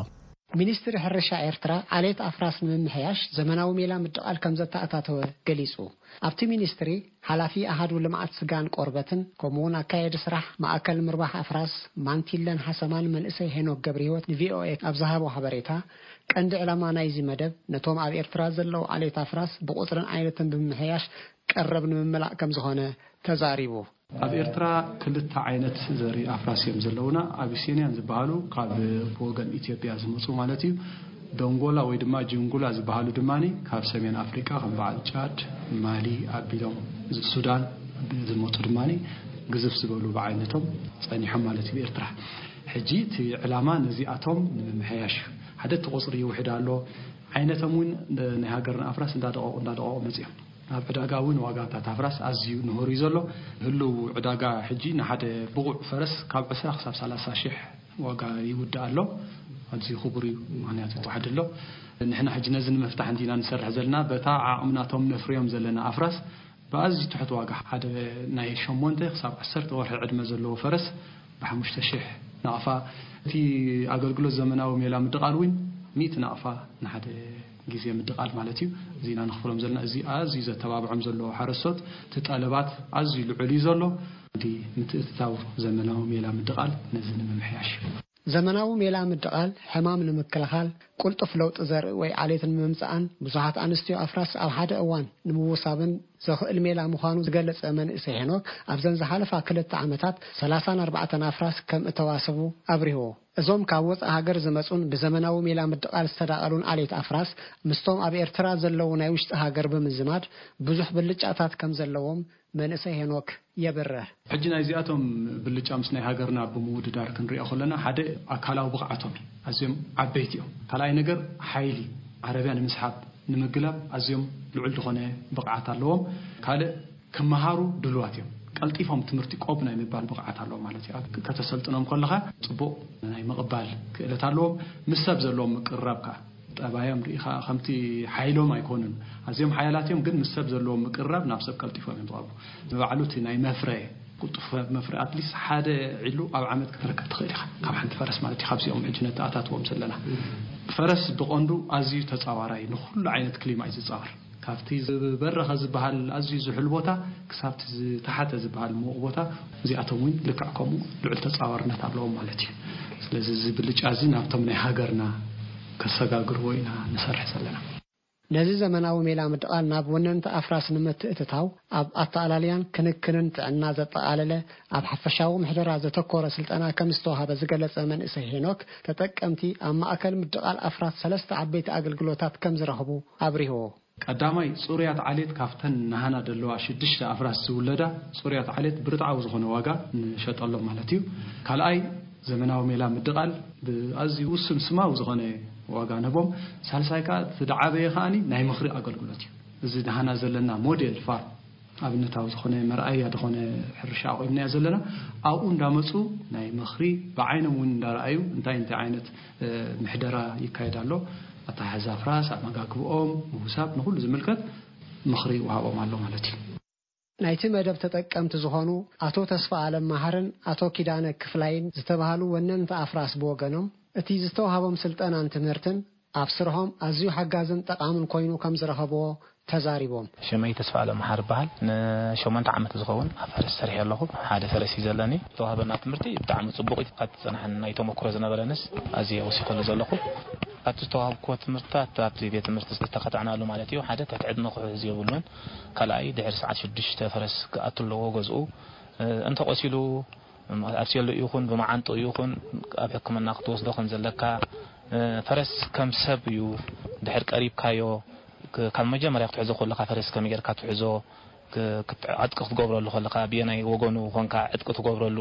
ሚኒስትሪ ሕርሻ ኤርትራ ዓሌት ኣፍራስ ንምምሕያሽ ዘመናዊ ሜላ ምድቓል ከም ዘተኣታተወ ገሊጹ። ኣብቲ ሚኒስትሪ ሓላፊ ኣሃዱ ልምዓት ስጋን ቆርበትን ከምኡውን ኣካየዲ ስራሕ ማእከል ምርባሕ ኣፍራስ ማንቲለን ሓሰማን መንእሰይ ሄኖክ ገብረህይወት ንቪኦኤ ኣብ ዝሃቦ ሓበሬታ፣ ቀንዲ ዕላማ ናይዚ መደብ ነቶም ኣብ ኤርትራ ዘለዉ ዓሌት ኣፍራስ ብቑጽርን ዓይነትን ብምምሕያሽ ቀረብ ንምምላእ ከም ዝኾነ ተዛሪቡ። ኣብ ኤርትራ ክልተ ዓይነት ዘርኢ ኣፍራስ እዮም ዘለዉና። ኣቢሲንያን ዝበሃሉ ካብ ብወገን ኢትዮጵያ ዝመጹ ማለት እዩ። ደንጎላ ወይ ድማ ጅንጉላ ዝበሃሉ ድማ ካብ ሰሜን ኣፍሪቃ ከም በዓል ጫድ፣ ማሊ ኣቢሎም ሱዳን ዝመፁ ድማ ግዝፍ ዝበሉ ብዓይነቶም ፀኒሖም ማለት እዩ ብኤርትራ። ሕጂ እቲ ዕላማ ነዚኣቶም ንምምሕያሽ እዩ። ሓደ እቲ ቁፅሪ ይውሕድ ኣሎ። ዓይነቶም እውን ናይ ሃገርና ኣፍራስ እንዳደቐቑ እንዳደቐቑ መፂኦም። ኣብ ዕዳጋ እውን ዋጋታት ኣፍራስ ኣዝዩ ንሆር እዩ ዘሎ። ህልው ዕዳጋ ሕጂ ንሓደ ብቑዕ ፈረስ ካብ ዕስራ ክሳብ ሰላሳ ሽሕ ዋጋ ይውዳእ ኣሎ። ኣዝዩ ክቡር እዩ፣ ምኽንያቱ ተዋሕድ ኣሎ። ንሕና ሕጂ ነዚ ንምፍታሕ እንዲና ንሰርሕ ዘለና፣ በታ ዓቕምናቶም ነፍርዮም ዘለና ኣፍራስ ብኣዝዩ ትሑት ዋጋ፣ ሓደ ናይ ሸሞንተ ክሳብ ዓሰርተ ወርሒ ዕድመ ዘለዎ ፈረስ ብሓሙሽተ ሽሕ ናቕፋ። እቲ ኣገልግሎት ዘመናዊ ሜላ ምድቓል እውን ሚእቲ ናቕፋ ንሓደ ግዜ ምድቓል ማለት እዩ። እዚ ኢና ንኽፍሎም ዘለና። እዚ ኣዝዩ ዘተባብዖም ዘሎ ሓረስቶት፣ እቲ ጠለባት ኣዝዩ ልዑል እዩ ዘሎ። እንዲ ምትእትታው ዘመናዊ ሜላ ምድቓል ነዚ ንምምሕያሽ እዩ። ዘመናዊ ሜላ ምድቓል ሕማም ንምክልኻል፣ ቅልጡፍ ለውጢ ዘርኢ ወይ ዓሌት ንምምጻእን ብዙሓት ኣንስትዮ ኣፍራስ ኣብ ሓደ እዋን ንምውሳብን ዘኽእል ሜላ ምዃኑ ዝገለጸ መንእሰይ ሄኖክ፣ ኣብዘን ዝሓለፋ ክልተ ዓመታት ሰላሳን ኣርባዕተን ኣፍራስ ከም እተዋሰቡ ኣብሪህዎ። እዞም ካብ ወጻኢ ሃገር ዝመጹን ብዘመናዊ ሜላ ምድቓል ዝተዳቐሉን ዓሌት ኣፍራስ ምስቶም ኣብ ኤርትራ ዘለዉ ናይ ውሽጢ ሃገር ብምዝማድ ብዙሕ ብልጫታት ከም ዘለዎም መንእሰይ ሄኖክ የብርህ። ሕጂ ናይዚኣቶም ብልጫ ምስ ናይ ሃገርና ብምውድዳር ክንሪኦ ከለና፣ ሓደ ኣካላዊ ብቕዓቶም እዩ። ኣዝዮም ዓበይቲ እዮም። ካልኣይ ነገር ሓይሊ፣ ዓረብያ ንምስሓብ፣ ንምግላብ ኣዝዮም ልዑል ዝኾነ ብቕዓት ኣለዎም። ካልእ ክመሃሩ ድሉዋት እዮም። ቀልጢፎም ትምህርቲ ቆብ ናይ ምባል ብቕዓት ኣለዎም ማለት እዩ። ኣብ ከተሰልጥኖም ከለኻ ጽቡቕ ናይ ምቕባል ክእለት ኣለዎም። ምስ ሰብ ዘለዎም ምቅርራብ ከኣ ጠባዮም ርኢኻ ከምቲ ሓይሎም ኣይኮኑን። ኣዝዮም ሓያላት እዮም፣ ግን ምስ ሰብ ዘለዎም ምቅርራብ ናብ ሰብ ቀልጢፎም እዮም ዝቐርቡ። ንባዕሉ እቲ ናይ መፍረ ቅልጡፍ መፍረ ኣትሊስት ሓደ ዒሉ ኣብ ዓመት ክትረከብ ትኽእል ኢኻ ካብ ሓንቲ ፈረስ ማለት እዩ። ካብዚኦም ሕጂ ነተኣታትዎም ዘለና ፈረስ ብቐንዱ ኣዝዩ ተጻዋራይ ንኹሉ ዓይነት ክሊማ እዩ ዝጻወር። ካብቲ ዝበረኸ ዝበሃል ኣዝዩ ዝሑል ቦታ ክሳብቲ ዝተሓተ ዝበሃል ምዉቕ ቦታ፣ እዚኣቶም እውን ልክዕ ከምኡ ልዑል ተጻዋርነት ኣለዎም ማለት እዩ። ስለዚ እዚ ብልጫ እዚ ናብቶም ናይ ሃገርና ከሰጋግርዎ ኢና ንሰርሕ ዘለና። ነዚ ዘመናዊ ሜላ ምድቓል ናብ ወነንቲ ኣፍራስ ንምትእትታው ኣብ ኣተኣላልያን ክንክንን ጥዕና ዘጠቓለለ ኣብ ሓፈሻዊ ምሕደራ ዘተኮረ ስልጠና ከም ዝተዋሃበ ዝገለጸ መንእሰይ ሄኖክ፣ ተጠቀምቲ ኣብ ማእከል ምድቓል ኣፍራስ ሰለስተ ዓበይቲ ኣገልግሎታት ከም ዝረኽቡ ኣብሪህዎ። ቀዳማይ፣ ጽሩያት ዓሌት ካብተን ናህና ደለዋ ሽዱሽተ ኣፍራስ ዝውለዳ ጽሩያት ዓሌት ብርትዓዊ ዝኾነ ዋጋ ንሸጠሎም ማለት እዩ። ካልኣይ፣ ዘመናዊ ሜላ ምድቓል ብኣዝዩ ውሱን ስማዊ ዝኾነ ዋጋ ንህቦም። ሳልሳይ ከኣ፣ እቲ ዝዓበየ ከኣ ናይ ምኽሪ ኣገልግሎት እዩ። እዚ ናህና ዘለና ሞዴል ፋርም ኣብነታዊ ዝኾነ መርኣያ ዝኾነ ሕርሻ ኣቑምናዮ ዘለና፣ ኣብኡ እንዳመጹ ናይ ምኽሪ ብዓይኖም እውን እንዳረኣዩ እንታይ እንታይ ዓይነት ምሕደራ ይካየድ ኣሎ፣ ኣተሓሕዛ ኣፍራስ፣ ኣመጋግብኦም፣ ምውሳብ፣ ንኹሉ ዝምልከት ምኽሪ ይወሃቦም ኣሎ ማለት እዩ። ናይቲ መደብ ተጠቀምቲ ዝኾኑ ኣቶ ተስፋ ኣለም መሃርን ኣቶ ኪዳነ ክፍላይን ዝተባህሉ ወነንቲ ኣፍራስ ብወገኖም፣ እቲ ዝተዋሃቦም ስልጠናን ትምህርትን ኣብ ስርሖም ኣዝዩ ሓጋዝን ጠቓምን ኮይኑ ከም ዝረኸብዎ ተዛሪቦም። ሽመይ ተስፋ ኣለም መሓር ይበሃል። ንሸሞንተ ዓመት ዝኸውን ኣብ ፈረስ ሰሪሐ ኣለኹ። ሓደ ፈረስ እዩ ዘለኒ። ዝተዋህበና ትምህርቲ ብጣዕሚ ጽቡቕ እዩ። ካብቲ ዝጸናሕን ናይ ተመክሮ ዝነበረንስ ኣዝየ ወሲኸሉ ዘለኹ። ካብቲ ዝተዋህብክዎ ትምህርትታት ኣብቲ ቤት ትምህርቲ ዝተኸታዕናሉ ማለት እዩ። ሓደ ትሕቲ ዕድመ ክሕዝ የብሉን። ካልኣይ ድሕሪ ሰዓት ሽዱሽተ ፈረስ ክኣቱ ኣለዎ ገዝኡ። እ፣ እንተቆሲሉ ኣብ ሴሎ ይኹን ብመዓንጥኡ ይኹን ኣብ ሕክምና ክትወስዶ ከም ዘለካ፣ እ፣ ፈረስ ከም ሰብ እዩ። ድሕር ቀሪብካዮ፣ ክ-፣ ካብ መጀመርያ ክትሕዞ ከለኻ ፈረስ ከመይ ጌርካ ትሕዞ፣ ክ-፣ ክት-፣ ዕጥቂ ክትገብረሉ ከለኻ ብየናይ ወገኑ ኮንካ ዕጥቂ ትገብረሉ፣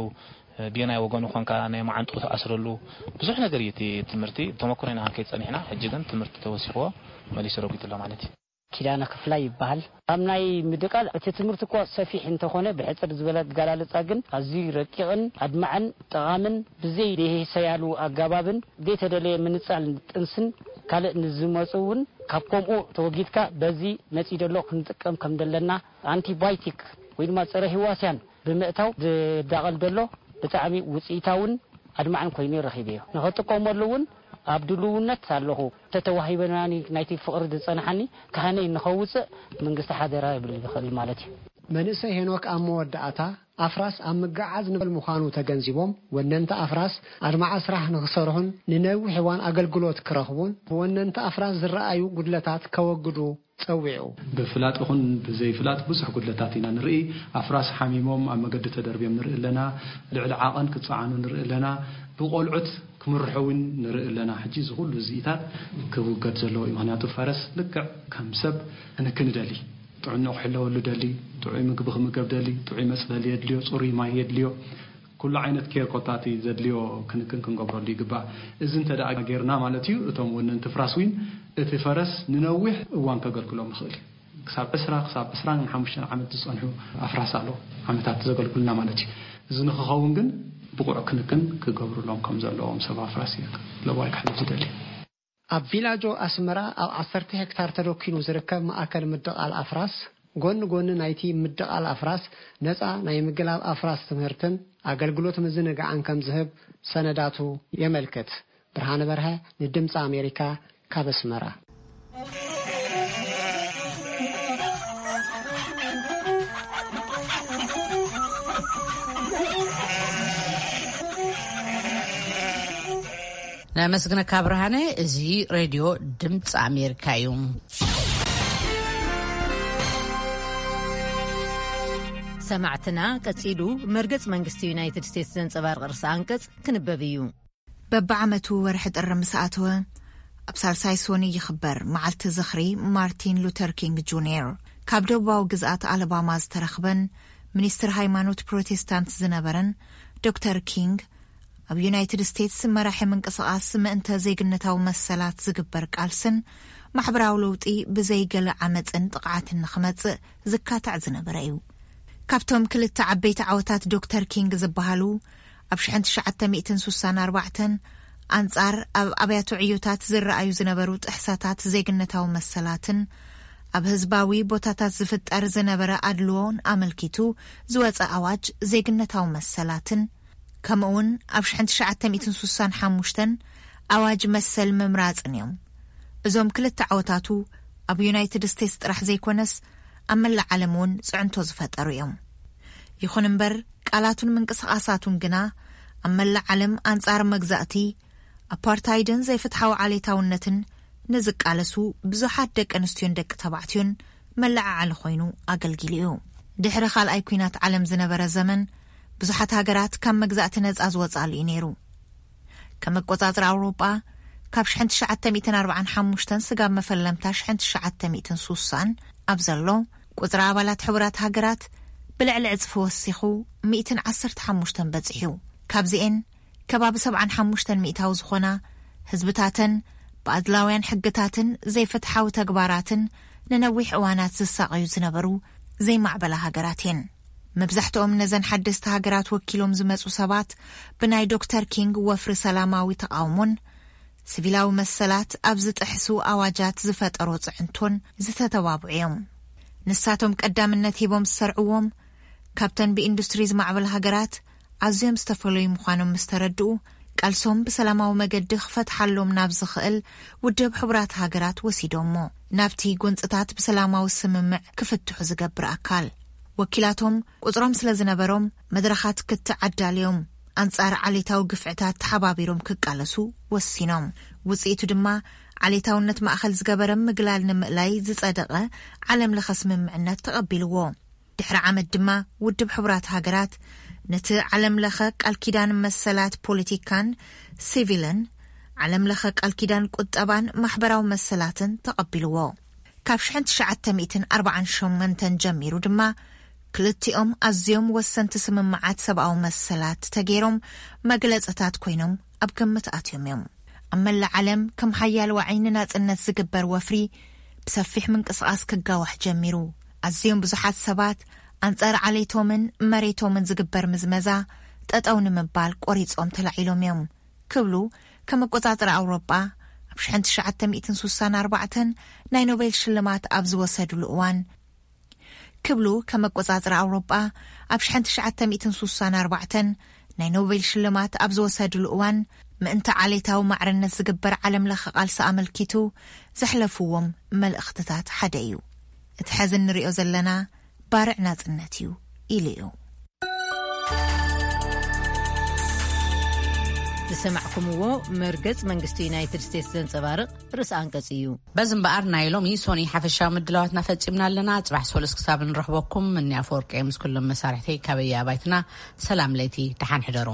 እ፣ ብየናይ ወገኑ ኮንካ ናይ መዓንጥኡ ትኣስረሉ፣ ብዙሕ ነገር እዩ እቲ ትምህርቲ። ተመክሮ ኢና ክንከይድ ጸኒሕና፣ ሕጂ ግን ትምህርቲ ተወሲኽዎ መሊሱ ረጒዱ ኣሎ ማለት እዩ። ኪዳነ ክፍላይ ይበሃል። ኣብ ናይ ምድቃል እቲ ትምህርቲ እኳ ሰፊሕ እንተኾነ፣ ብሕጽር ዝበለ ኣገላልጻ ግን ኣዝዩ ረቂቕን ኣድማዕን ጠቓምን ብዘይ ደሄሰያሉ ኣገባብን ዘይተደለየ ምንጻል ጥንስን ካልእ ንዝመጹ እውን ካብ ከምኡ ተወጊድካ በዚ መጺ ደሎ ክንጥቀም ከም ደለና ኣንቲባዮቲክ ወይ ድማ ጸረ ህዋስያን ብምእታው ዝዳቐል ደሎ ብጣዕሚ ውጽኢታውን ኣድማዕን ኮይኑ ረኺበዮ። ንኽጥቀመሉ እውን ኣብ ድልውነት ኣለኹ። ተተዋሂበናኒ ናይቲ ፍቕሪ ዝጸንሓኒ ካህነይ ንኸውጽእ መንግስቲ ሓደራ ይብል ይኽእል ማለት እዩ። መንእሰይ ሄኖክ ኣብ መወዳእታ ኣፍራስ ኣብ ምግዓዝ ንበል ምዃኑ ተገንዚቦም፣ ወነንቲ ኣፍራስ ኣድማዒ ስራሕ ንኽሰርሑን ንነዊሕ እዋን ኣገልግሎት ክረኽቡን ብወነንቲ ኣፍራስ ዝረኣዩ ጉድለታት ከወግዱ ጸዊዑ። ብፍላጥ ይኹን ብዘይፍላጥ ብዙሕ ጉድለታት ኢና ንርኢ። ኣፍራስ ሓሚሞም ኣብ መገዲ ተደርብዮም ንርኢ ኣለና። ልዕሊ ዓቐን ክጸዓኑ ንርኢ ኣለና። ብቆልዑት ክምርሑ እውን ንርኢ ኣለና። ሕጂ እዚ ኩሉ እዚኢታት ክውገድ ዘለዎ እዩ። ምኽንያቱ ፈረስ ልክዕ ከም ሰብ ክንክን ይደሊ። ጥዕናኡ ክሕለወሉ ደሊ፣ ጥዑይ ምግቢ ክምገብ ደሊ፣ ጥዑይ መጽለሊ የድልዮ፣ ጽሩይ ማይ የድልዮ፣ ኩሉ ዓይነት ኬር ኮታቲ ዘድልዮ ክንክን ክንገብረሉ ይግባእ። እዚ እንተ ደኣ ጌርና ማለት እዩ፣ እቶም ወነንቲ ፍራስ ዊን እቲ ፈረስ ንነዊሕ እዋን ከገልግሎም ይኽእል እዩ። ክሳብ ዕስራ ክሳብ ዕስራን ሓሙሽተን ዓመት ዝጸንሑ ኣፍራስ ኣሎ፣ ዓመታት ዘገልግሉና ማለት እዩ። እዚ ንክኸውን ግን ብቑዕ ክንክን ክገብሩሎም ከም ዘለዎም ሰብ ኣፍራስ እዩ ለዋይ ክሕልፍ ዝደሊ። ኣብ ቪላጆ ኣስመራ ኣብ ዓሰርተ ሄክታር ተደኪኑ ዝርከብ ማእከል ምድቓል ኣፍራስ፣ ጎኒ ጎኒ ናይቲ ምድቓል ኣፍራስ ነጻ ናይ ምግላብ ኣፍራስ ትምህርትን ኣገልግሎት ምዝንጋዕን ከም ዝህብ ሰነዳቱ የመልክት። ብርሃነ በርሀ ንድምፂ ኣሜሪካ ካብ ኣስመራ። ነመስግነካ ብርሃነ። እዚ ሬድዮ ድምፂ ኣሜሪካ እዩ። ሰማዕትና፣ ቀጺሉ መርገጽ መንግስቲ ዩናይትድ ስቴትስ ዘንጸባርቕ ርእሰ ኣንቀጽ ክንበብ እዩ። በብዓመቱ ወርሒ ጥሪ ምስ ኣተወ፣ ኣብ ሳልሳይ ሶኒ ይኽበር፣ መዓልቲ ዝኽሪ ማርቲን ሉተር ኪንግ ጁኒየር። ካብ ደቡባዊ ግዝኣት ኣለባማ ዝተረኽበን ሚኒስትር ሃይማኖት ፕሮቴስታንት ዝነበረን ዶክተር ኪንግ፣ ኣብ ዩናይትድ ስቴትስ መራሒ ምንቅስቓስ ምእንተ ዜግነታዊ መሰላት ዝግበር ቃልስን ማሕበራዊ ለውጢ ብዘይ ገለ ዓመጽን ጥቕዓትን ንኽመጽእ ዝካታዕ ዝነበረ እዩ። ካብቶም ክልተ ዓበይቲ ዓወታት ዶክተር ኪንግ ዝበሃሉ፣ ኣብ ሽሕን ትሽዓተ ሚእትን ሱሳን ኣርባዕተን ኣንጻር ኣብ ኣብያተ ዕዮታት ዝረኣዩ ዝነበሩ ጥሕሰታት ዜግነታዊ መሰላትን ኣብ ህዝባዊ ቦታታት ዝፍጠር ዝነበረ ኣድልዎን ኣመልኪቱ ዝወጸ ኣዋጅ ዜግነታዊ መሰላትን፣ ከምኡውን ኣብ ሽሕን ትሽዓተ ሚእትን ሱሳን ሓሙሽተን ኣዋጅ መሰል ምምራጽን እዮም። እዞም ክልተ ዓወታቱ ኣብ ዩናይትድ ስቴትስ ጥራሕ ዘይኮነስ ኣብ መላእ ዓለም እውን ጽዕንቶ ዝፈጠሩ እዮም። ይኹን እምበር፣ ቃላቱን ምንቅስቓሳቱን ግና ኣብ መላእ ዓለም ኣንጻር መግዛእቲ፣ ኣፓርታይድን ዘይፍትሓዊ ዓሌታውነትን ንዝቃለሱ ብዙሓት ደቂ ኣንስትዮን ደቂ ተባዕትዮን መለዓዓሊ ኮይኑ ኣገልጊሉ እዩ። ድሕሪ ካልኣይ ኲናት ዓለም ዝነበረ ዘመን፣ ብዙሓት ሃገራት ካብ መግዛእቲ ነጻ ዝወጻሉ እዩ ነይሩ። ከም ኣቆጻጽራ ኣውሮጳ፣ ካብ ሽሕን ትሽዓተ ሚእትን ኣርባዓን ሓሙሽተን ስጋብ መፈለምታ ሽሕን ትሽዓተ ሚእትን ሱሳን ኣብ ዘሎ፣ ቁጽሪ ኣባላት ሕቡራት ሃገራት ብልዕሊ ዕጽፊ ወሲኹ፣ ሚእትን ዓሰርተ ሓሙሽተን በጺሑ። ካብዚኤን ከባቢ ሰብዓን ሓሙሽተን ሚእታዊ ዝኾና፣ ህዝብታተን ብኣድላውያን ሕግታትን ዘይፍትሓዊ ተግባራትን ንነዊሕ እዋናት ዝሳቐዩ ዝነበሩ ዘይማዕበላ ሃገራት እየን። መብዛሕትኦም ነዘን ሓደስቲ ሃገራት ወኪሎም ዝመጹ ሰባት፣ ብናይ ዶክተር ኪንግ ወፍሪ ሰላማዊ ተቓውሞን ሲቪላዊ መሰላት ኣብ ዝጥሕሱ ኣዋጃት ዝፈጠሮ ጽዕንቶን ዝተተባብዑ እዮም። ንሳቶም ቀዳምነት ሂቦም ዝሰርዕዎም፣ ካብተን ብኢንዱስትሪ ዝማዕበላ ሃገራት ኣዝዮም ዝተፈለዩ ምዃኖም ምስ ተረድኡ፣ ቃልሶም ብሰላማዊ መገዲ ክፈትሓሎም ናብ ዝኽእል ውድብ ሕቡራት ሃገራት ወሲዶሞ፣ ናብቲ ጎንጽታት ብሰላማዊ ስምምዕ ክፍትሑ ዝገብር ኣካል። ወኪላቶም ቁጽሮም ስለ ዝነበሮም፣ መድረኻት ክትዕ ኣዳልዮም፣ ኣንጻር ዓሌታዊ ግፍዕታት ተሓባቢሮም ክቃለሱ ወሲኖም። ውጽኢቱ ድማ፣ ዓሌታውነት ማእከል ዝገበረ ምግላል ንምእላይ ዝጸደቐ ዓለም ለኸ ስምምዕነት ተቐቢልዎ። ድሕሪ ዓመት ድማ፣ ውድብ ሕቡራት ሃገራት ነቲ ዓለም ለኸ ቃል ኪዳን መሰላት ፖለቲካን ሲቪልን፣ ዓለም ለኸ ቃል ኪዳን ቁጠባን ማሕበራዊ መሰላትን ተቐቢልዎ። ካብ ሽሕን ትሽዓተ ሚእትን ኣርባዓን ሸሞንተን ጀሚሩ ድማ፣ ክልቲኦም ኣዝዮም ወሰንቲ ስምምዓት ሰብኣዊ መሰላት ተገይሮም መግለጽታት ኮይኖም ኣብ ግምት ኣትዮም እዮም። ኣብ መላእ ዓለም ከም ሓያል ዋዒ ንናጽነት ዝግበር ወፍሪ ብሰፊሕ ምንቅስቓስ ክጋዋሕ ጀሚሩ። ኣዝዮም ብዙሓት ሰባት ኣንጻር ዓሌቶምን መሬቶምን ዝግበር ምዝመዛ ጠጠው ንምባል ቆሪጾም ተላዒሎም እዮም ክብሉ ከም ኣቆጻጽራ ኣውሮጳ ኣብ ሽሕን ትሽዓተ ሚእትን ሱሳን ኣርባዕተን ናይ ኖቤል ሽልማት ኣብ ዝወሰድሉ እዋን ክብሉ ከም ኣቆጻጽራ ኣውሮጳ ኣብ ሽሕን ትሽዓተ ሚእትን ሱሳን ኣርባዕተን ናይ ኖቤል ሽልማት ኣብ ዝወሰድሉ እዋን፣ ምእንቲ ዓሌታዊ ማዕርነት ዝግበር ዓለም ለኸ ቃልሲ ኣመልኪቱ ዘሕለፍዎም መልእኽትታት ሓደ እዩ። እቲ ሕዚ እንርእዮ ዘለና ባርዕ ናጽነት እዩ ኢሉ እዩ። ዝሰማዕኩምዎ መርገጽ መንግስቲ ዩናይትድ ስቴትስ ዘንጸባርቕ ርእሲ ኣንቀጽ እዩ። በዚ እምበኣር ናይ ሎሚ ሶኒ ሓፈሻዊ ምድላዋትና ፈጺምና ኣለና። ጽባሕ ሶሉስ ክሳብ ንረኽበኩም፣ እኒ ኣፈወርቂ ምስ ኩሎም መሳርሕተይ ካበይ ኣባይትና ሰላም ለይቲ፣ ደሓን ሕደሩ።